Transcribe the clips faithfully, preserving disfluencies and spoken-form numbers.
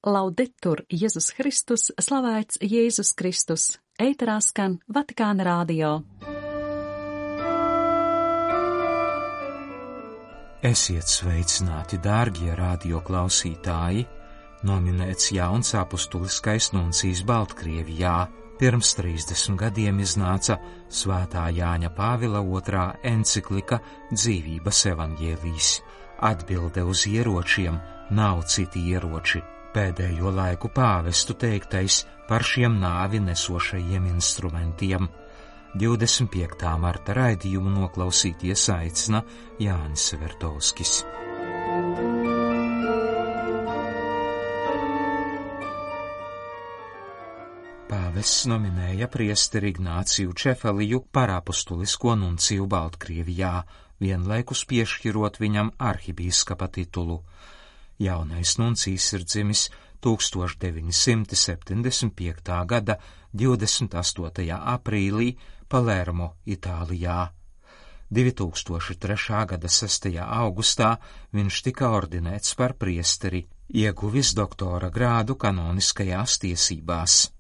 Laudetur Jēzus Kristus, slavēts Jēzus Kristus, ēterā skan Vatikāna radio. Esiet sveicināti, dārgie radio klausītāji! Nominēts jauns apustuliskais nuncijs Baltkrievijā. Pirms trīsdesmit gadiem iznāca Svētā Jāņa Pāvila otrā enciklika Dzīvības evaņģēlijs. Atbilde uz ieročiem nav citi ieroči. Pēdējo laiku pāvestu teiktais par šiem nāvi nesošajiem instrumentiem. divdesmit piektā marta raidījumu noklausīties aicina Jānis Vertovskis. Pāvests nominēja priesteri Ignāciju Čefaliju par apustulisko nunciju Baltkrievijā, vienlaikus piešķirot viņam arhibīskapa titulu. Jaunais nuncijs ir dzimis tūkstoš deviņi simti septiņdesmit piektā gada divdesmit astotajā aprīlī Palermo, Itālijā. divi tūkstoši trešā gada sestajā augustā viņš tika ordinēts par priesteri, ieguvis doktora grādu kanoniskajās tiesībās.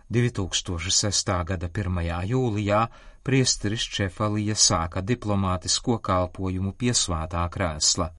divi tūkstoši sestā gada pirmajā jūlijā priesteris Čefalija sāka diplomātisko kalpojumu pie svētā krēsla.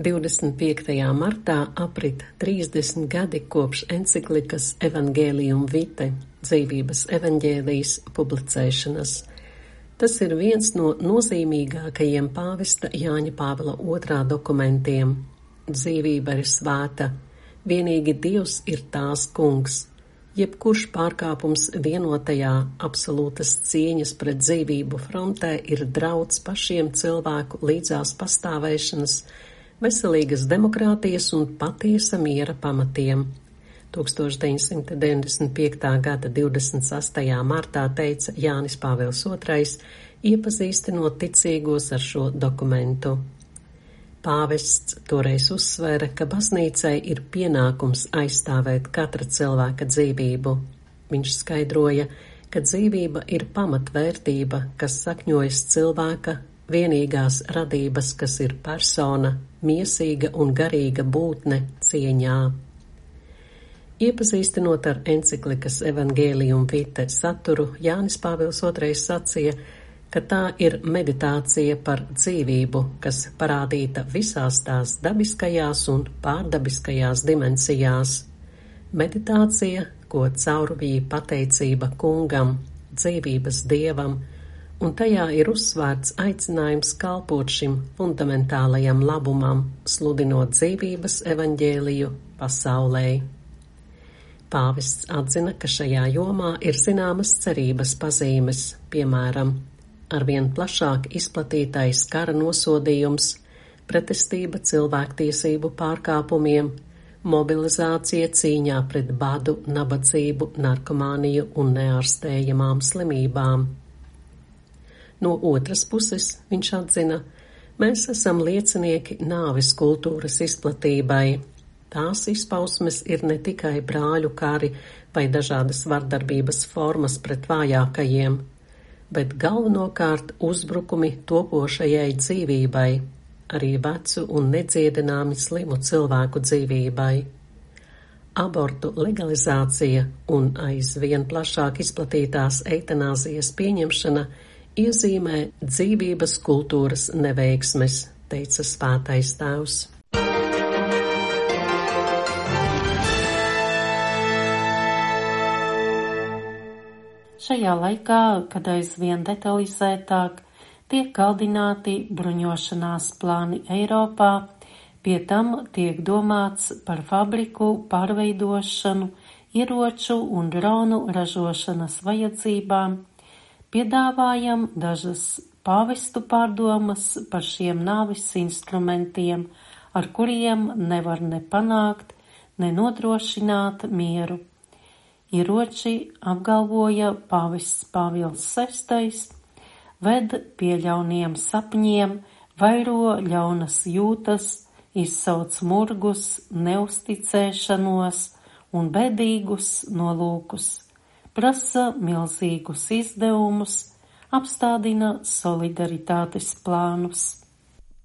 divdesmit piektajā martā aprit trīsdesmit gadi kopš enciklikas Evangelium Vitae, dzīvības evaņģēlijs, publicēšanas. Tas ir viens no nozīmīgākajiem pāvesta Jāņa Pāvila otrā dokumentiem. Dzīvība ir svēta, vienīgi Dievs ir tās kungs. Jebkurš pārkāpums vienotajā absolūtas cieņas pret dzīvību frontē ir drauds pašiem cilvēku līdzās pastāvēšanas, veselīgas demokrātijas un patiesa miera pamatiem. tūkstoš deviņsimt deviņdesmit piektā gada divdesmit sastajā martā teica Jānis Pāvils otrais, iepazīstinot ticīgos ar šo dokumentu. Pāvests toreiz uzsvēra, ka baznīcai ir pienākums aizstāvēt katra cilvēka dzīvību. Viņš skaidroja, ka dzīvība ir pamatvērtība, kas sakņojas cilvēka vienīgās radības, kas ir persona, miesīga un garīga būtne cieņā. Iepazīstinot ar enciklikas Evangelium Vitae saturu, Jānis Pāvils otrais sacīja, ka tā ir meditācija par dzīvību, kas parādīta visās tās dabiskajās un pārdabiskajās dimensijās. Meditācija, ko caurvīja pateicība kungam, dzīvības dievam, un tajā ir uzsvērts aicinājums kalpot šim fundamentālajam labumam, sludinot dzīvības evaņģēliju pasaulē. Pāvests atzina, ka šajā jomā ir zināmas cerības pazīmes, piemēram, arvien plašāk izplatītais kara nosodījums, pretestība cilvēktiesību pārkāpumiem, mobilizācija cīņā pret badu, nabadzību, narkomāniju un neārstējamām slimībām. No otras puses, viņš atzina, mēs esam liecinieki nāves kultūras izplatībai. Tās izpausmes ir ne tikai brāļu kari vai dažādas vardarbības formas pret vājākajiem, bet galvenokārt uzbrukumi topošajai dzīvībai, arī vecu un nedziedināmi slimu cilvēku dzīvībai. Abortu legalizācija un aizvien plašāk izplatītās eitanāzijas pieņemšana iezīmē dzīvības kultūras neveiksmes, teica Svētais Tēvs. Šajā laikā, kad aizvien detalizētāk tiek kaldināti bruņošanās plāni Eiropā, pie tam tiek domāts par fabriku pārveidošanu, ieroču un dronu ražošanas vajadzībām, piedāvājam dažas pāvestu pārdomas par šiem nāvis instrumentiem, ar kuriem nevar ne panākt, ne nodrošināt mieru. Ieroči, apgalvoja pāvests Pāvils sestais, ved pie ļauniem sapņiem, vairo ļaunas jūtas, izsauc murgus, neusticēšanos un bēdīgus nolūkus, prasa milzīgus izdevumus, apstādina solidaritātes plānus.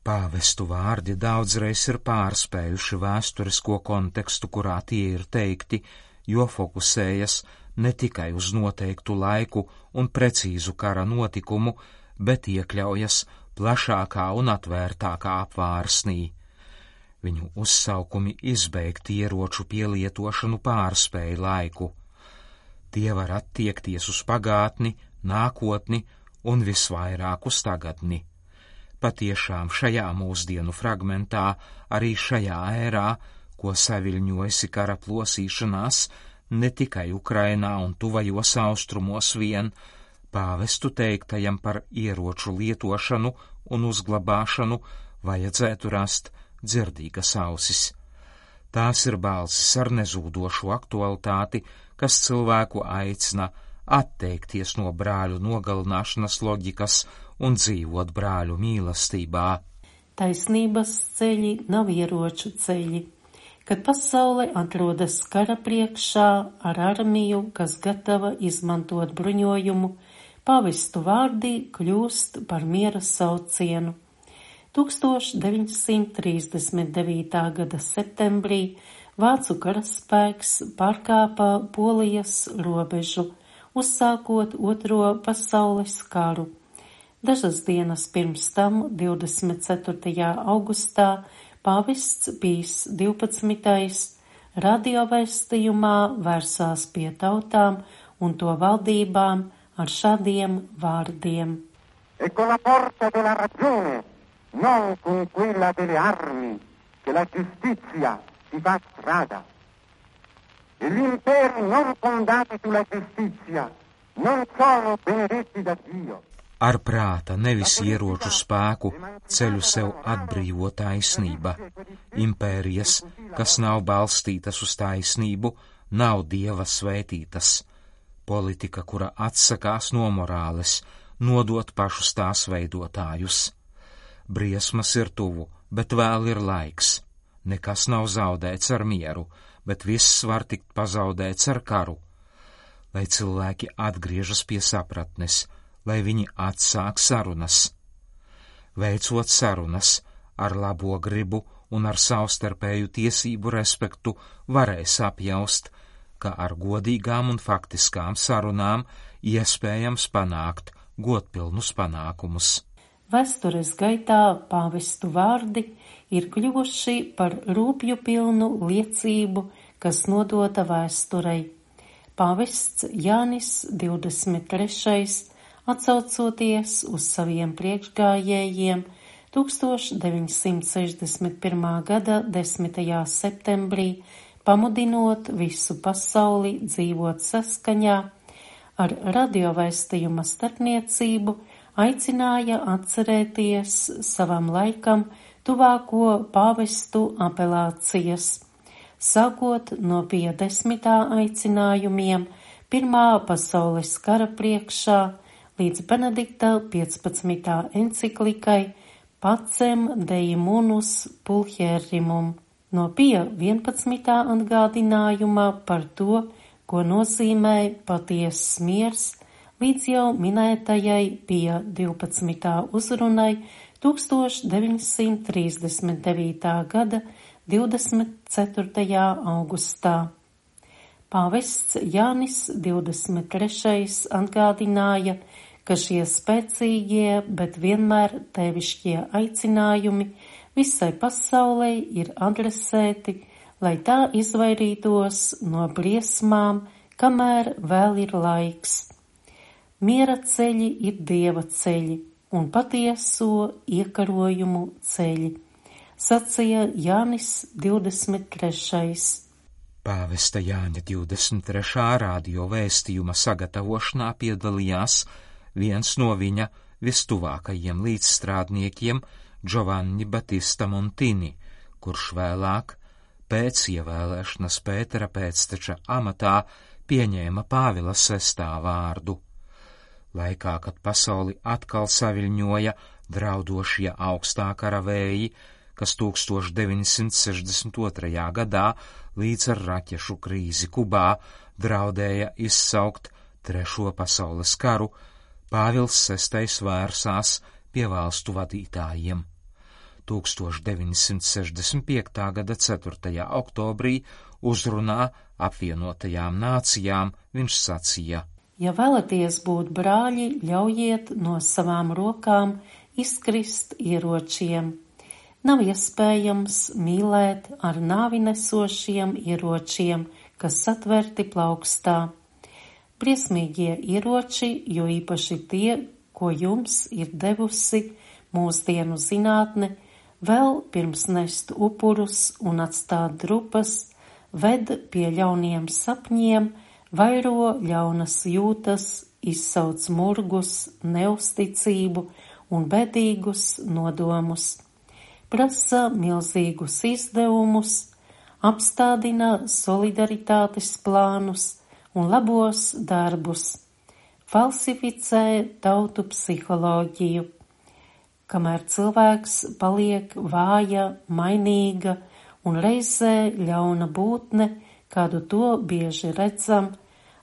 Pāvestu vārdi daudzreiz ir pārspējuši vēsturisko kontekstu, kurā tie ir teikti, jo fokusējas ne tikai uz noteiktu laiku un precīzu kara notikumu, bet iekļaujas plašākā un atvērtākā apvārsnī. Viņu uzsaukumi izbeigt ieroču pielietošanu pārspēj laiku. Tie var attiekties uz pagātni, nākotni un visvairāk uz tagadni. Patiešām šajā mūsdienu fragmentā, arī šajā ērā, ko saviļņojusi kara plosīšanās, ne tikai Ukrainā un tuvajos austrumos vien, pāvestu teiktajam par ieroču lietošanu un uzglabāšanu vajadzētu rast dzirdīgas ausis. Tās ir balsis ar nezūdošu aktualitāti, kas cilvēku aicina atteikties no brāļu nogalināšanas loģikas un dzīvot brāļu mīlestībā. Taisnības ceļi nav ieroču ceļi. Kad pasaule atrodas kara priekšā ar armiju, kas gatava izmantot bruņojumu, pāvestu vārdi kļūst par miera saucienu. tūkstoš deviņsimt trīsdesmit devītā gada septembrī vācu karaspēks pārkāpa Polijas robežu, uzsākot Otro pasaules karu. Dažas dienas pirms tam, divdesmit ceturtajā augustā, pāvests Pijs divpadsmitais radiovēstījumā vērsās pie tautām un to valdībām ar šādiem vārdiem. E con la forza della ragione, non con quella delle armi, che la giustizia si fa strada. E gli imperi non fondati sulla giustizia non sono benedetti da Dio. Ar prāta, nevis ieroču spēku, ceļu sev atbrīvo taisnība. Impērijas, kas nav balstītas uz taisnību, nav Dieva svētītas. Politika, kura atsakās no morāles, nodot pašus tās veidotājus. Briesmas ir tuvu, bet vēl ir laiks. Nekas nav zaudēts ar mieru, bet viss var tikt pazaudēts ar karu. Lai cilvēki atgriežas pie sapratnes, lai viņi atsāk sarunas. Veicot sarunas ar labo gribu un ar savstarpēju tiesību respektu, varēs apjaust, ka ar godīgām un faktiskām sarunām iespējams panākt godpilnus panākumus. Vēstures gaitā pāvestu vārdi ir kļuvuši par rūpju pilnu liecību, kas nodota vēsturei. Pāvests Jānis divdesmit trešais atsaucoties uz saviem priekšgājējiem tūkstoš deviņsimt sešdesmit pirmā gada desmitajā septembrī, pamudinot visu pasauli dzīvot saskaņā ar radiovēstījuma starpniecību, aicināja atcerēties savam laikam tuvāko pāvestu apelācijas, sākot no pie desmitā aicinājumiem Pirmā pasaules kara priekšā līdz Benedikta piecpadsmitā enciklikai Pacem Dei Munus Pulcherimum, no pie vienpadsmitā atgādinājumā par to, ko nozīmē patiesas miers, līdz jau minētajai pie divpadsmitā uzrunai tūkstoš deviņsimt trīsdesmit devītā gada divdesmit ceturtajā augustā. Pāvests Jānis divdesmit trešais atgādināja, ka šie spēcīgie, bet vienmēr tevišķie aicinājumi visai pasaulē ir adresēti, lai tā izvairītos no briesmām, kamēr vēl ir laiks. Miera ceļi ir Dieva ceļi un patieso iekarojumu ceļi, sacīja Jānis divdesmit trešais. Pāvesta Jāņa divdesmit trešā radio vēstījuma sagatavošanā piedalījās viens no viņa vistuvākajiem līdzstrādniekiem, Giovanni Battista Montini, kurš vēlāk, pēc ievēlēšanas Pētera pēcteča amatā, pieņēma Pāvila sestā vārdu. Laikā, kad pasauli atkal saviļņoja draudošie augstā kara vēji, kas tūkstoš deviņsimt sešdesmit otrajā gadā līdz ar raķešu krīzi Kubā draudēja izsaukt Trešo pasaules karu, Pāvils sestais vērsās pie valstu vadītājiem. tūkstoš deviņi simti sešdesmit piekta gada ceturtajā oktobrī uzrunā apvienotajām nācijām viņš sacīja: Ja vēlaties būt brāļi, ļaujiet no savām rokām izkrist ieročiem. Nav iespējams mīlēt ar nāvi nesošiem ieročiem, kas satverti plaukstā. Briesmīgie ieroči, jo īpaši tie, ko jums ir devusi mūsdienu zinātne, vēl pirms nest upurus un atstāt drupas, ved pie ļauniem sapņiem, vairo ļaunas jūtas, izsauc murgus, neusticību un bedīgus nodomus. Prasa milzīgus izdevumus, apstādina solidaritātes plānus un labos darbus, falsificē tautu psiholoģiju. Kamēr cilvēks paliek vāja, mainīga un reizē ļauna būtne, kādu to bieži redzam,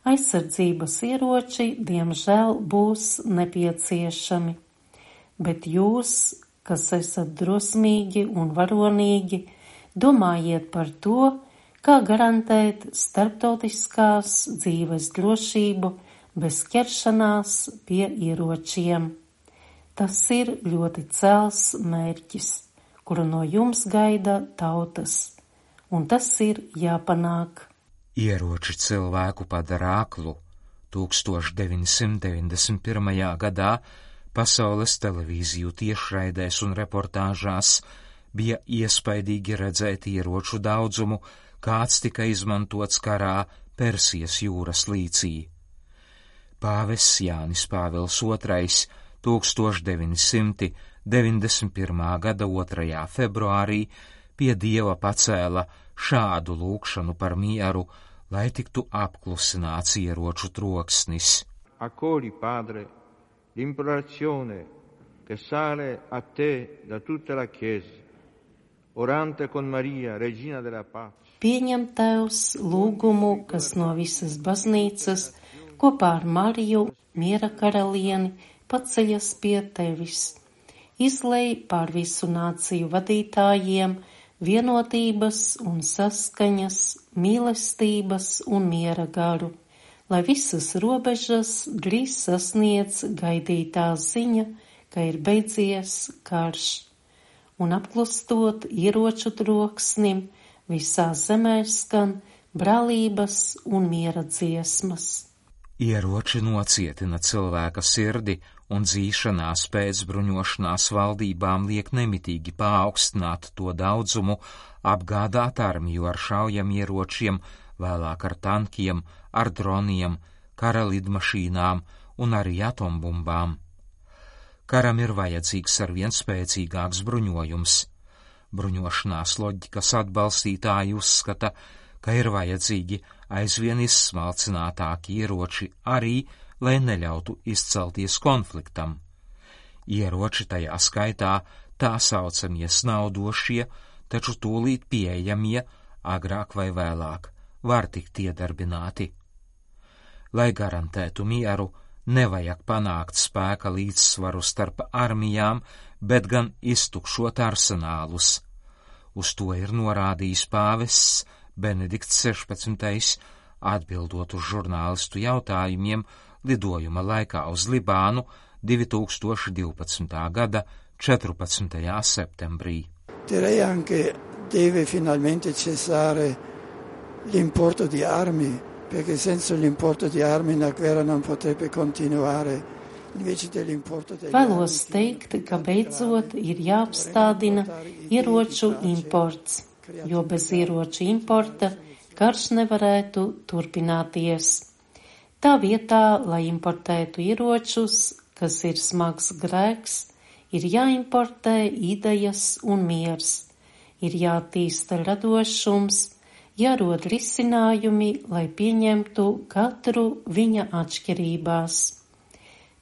aizsardzības ieroči diemžēl būs nepieciešami. Bet jūs, kas esat drosmīgi un varonīgi, domājiet par to, kā garantēt starptautiskās dzīves drošību bez ķeršanās pie ieročiem. Tas ir ļoti cēls mērķis, kuru no jums gaida tautas, un tas ir jāpanāk. Ieroči cilvēku padara aklu. tūkstoš deviņi simti deviņdesmit pirmajā gadā pasaules televīziju tiešraidēs un reportāžās bija iespaidīgi redzēt ieroču daudzumu, kāds tika izmantots karā Persijas jūras līcī. Pāvests Jānis Pāvils otrais tūkstoš deviņi simti deviņdesmit pirmā gada otrajā februārī pie Dieva pacēla šādu lūgšanu par mieru, lai tiktu apklusināts ieroču troksnis. Accogli, Padre, l'implorazione che sale a te da tutta la Chiesa, orante con Maria, Regina della Pace. Pieņem Tevs lūgumu, kas no visas baznīcas kopā ar Mariju, miera karalieni, paceļas pie Tevis. Izlej pār visu nāciju vadītājiem vienotības un saskaņas, mīlestības un miera garu, lai visas robežas drīz sasniedz gaidītā ziņa, ka ir beidzies karš, un apklustot ieroču troksnim, visā zemē skan brālības un miera dziesmas. Ieroči nocietina cilvēka sirdi, un dzīšanās pēc bruņošanās valdībām liek nemitīgi paaugstināt to daudzumu, apgādāt armiju ar šaujamieročiem, vēlāk ar tankiem, ar droniem, kara lidmašīnām un arī atombumbām. Karam ir vajadzīgs arvien spēcīgāks bruņojums. Bruņošanās loģikas atbalstītāji uzskata, ka ir vajadzīgi aizvien izsmalcinātāki ieroči arī, lai neļautu izcelties konfliktam. Ieroči tajā skaitā tā saucamie snaudošie, taču tūlīt pieejamie, agrāk vai vēlāk, var tikt iedarbināti. Lai garantētu mieru, nevajag panākt spēka līdzsvaru starp armijām, bet gan iztukšot arsenālus. Uz to ir norādījis pāvests Benedikts sešpadsmitais, atbildot uz žurnālistu jautājumiem lidojuma laikā uz Libānu divi tūkstoši divpadsmitā gada četrpadsmitajā septembrī. Direi anche deve finalmente cessare l'importo di armi, perché senza l'importo di armi la guerra non potrebbe continuare. Vēlos teikt, ka beidzot ir jāapstādina ieroču imports, jo bez ieroču importa karš nevarētu turpināties. Tā vietā, lai importētu ieročus, kas ir smags grēks, ir jāimportē idejas un miers, ir jātīsta radošums, jārod risinājumi, lai pieņemtu katru viņa atšķirībās.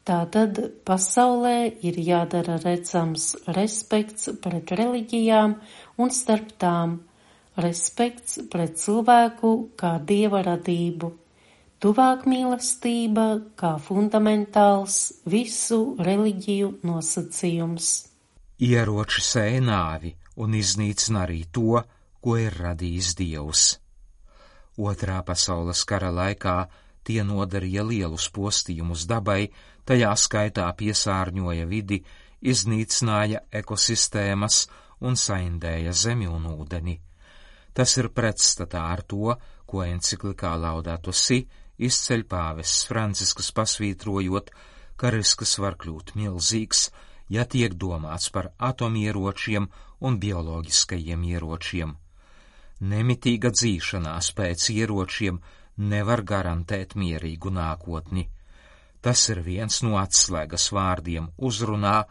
Tātad pasaulē ir jādara redzams respekts pret reliģijām un starp tām, respekts pret cilvēku kā dieva radību, tuvāk mīlestība kā fundamentāls visu reliģiju nosacījums. Ieroči sēja nāvi un iznīcina arī to, ko ir radījis Dievs. Otrā pasaules kara laikā tie nodarīja lielus postījumus dabai, tajā skaitā piesārņoja vidi, iznīcināja ekosistēmas un saindēja zemi un ūdeni. Tas ir pretstatā ar to, ko enciklikā Laudato Si izceļ pāvests Francisks, pasvītrojot, ka risks var kļūt milzīgs, ja tiek domāts par atomieročiem un bioloģiskajiem ieročiem. Nemitīga dzīšanās pēc ieročiem nevar garantēt mierīgu nākotni. Tas ir viens no atslēgas vārdiem uzrunā,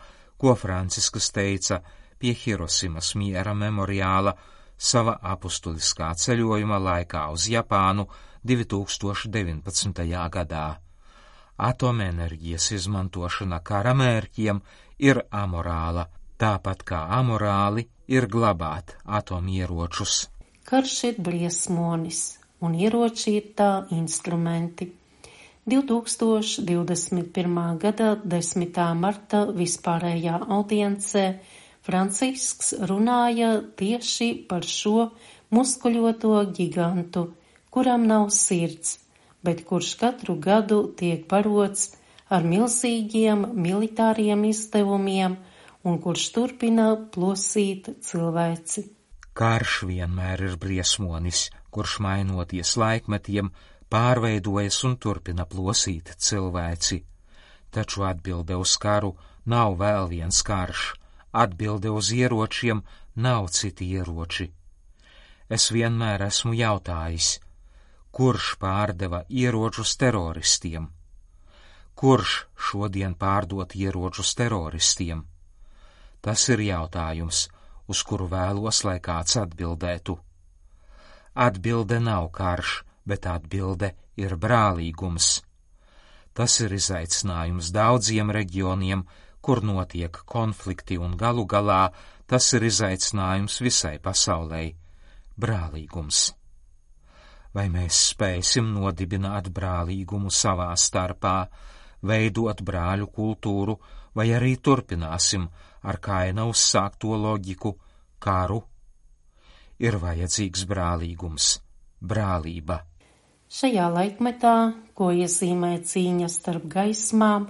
ko Francisks teica pie Hirosimas miera memoriāla sava apustuliskā ceļojuma laikā uz Japānu divi tūkstoši deviņpadsmitajā gadā. Atomenerģijas izmantošana kara mērķiem ir amorāla, tāpat kā amorāli ir glabāt atomieročus. Karš ir briesmonis, un ieroči ir tā instrumenti. divi tūkstoši divdesmit pirmā gada desmitā marta vispārējā audiencē Francisks runāja tieši par šo muskuļoto gigantu, kuram nav sirds, bet kurš katru gadu tiek barots ar milzīgiem militāriem izdevumiem un kurš turpina plosīt cilvēci. Karš vienmēr ir briesmonis, kurš mainoties laikmetiem, pārveidojas un turpina plosīt cilvēci. Taču atbilde uz karu nav vēl viens karš, atbilde uz ieročiem nav citi ieroči. Es vienmēr esmu jautājis, kurš pārdeva ieročus teroristiem? Kurš šodien pārdot ieročus teroristiem? Tas ir jautājums, uz kuru vēlos, lai kāds atbildētu. Atbilde nav karš, bet atbilde ir brālīgums. Tas ir izaicinājums daudziem reģioniem, kur notiek konflikti, un galu galā tas ir izaicinājums visai pasaulei - brālīgums. Vai mēs spēsim nodibināt brālīgumu savā starpā, veidot brāļu kultūru, vai arī turpināsim ar Kaina uzsākto loģiku karu? Ir vajadzīgs brālīgums, brālība. Šajā laikmetā, ko iezīmē cīņa starp gaismām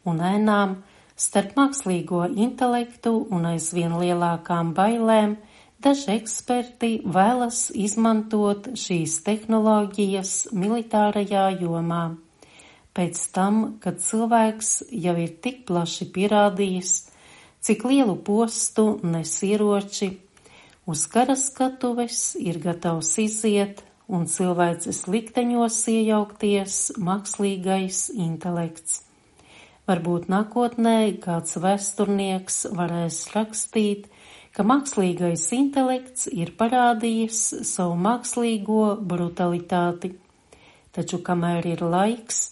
un ēnām, starp mākslīgo intelektu un aizvien lielākām bailēm, daži eksperti vēlas izmantot šīs tehnoloģijas militārajā jomā. Pēc tam, kad cilvēks jau ir tik plaši pierādījis, cik lielu postu nes ieroči, uz kara skatuves ir gatavs iziet un cilvēces likteņos iejaukties mākslīgais intelekts. Varbūt nākotnē kāds vēsturnieks varēs rakstīt, ka mākslīgais intelekts ir parādījis savu mākslīgo brutalitāti. Taču kamēr ir laiks,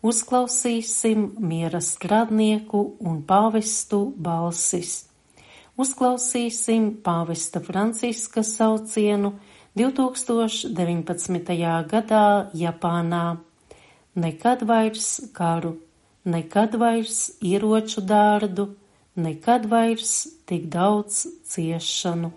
uzklausīsim miera strādnieku un pāvestu balsis. Uzklausīsim pāvesta Franciska saucienu divi tūkstoši deviņpadsmitajā gadā Japānā. Nekad vairs karu, nekad vairs ieroču dārdu, nekad vairs tik daudz ciešanu.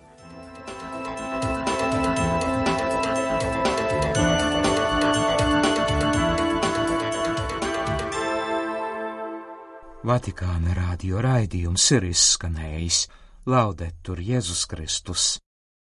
Vatikāna radio raidījums ir izskanējis. Laudetur Jēzus Kristus!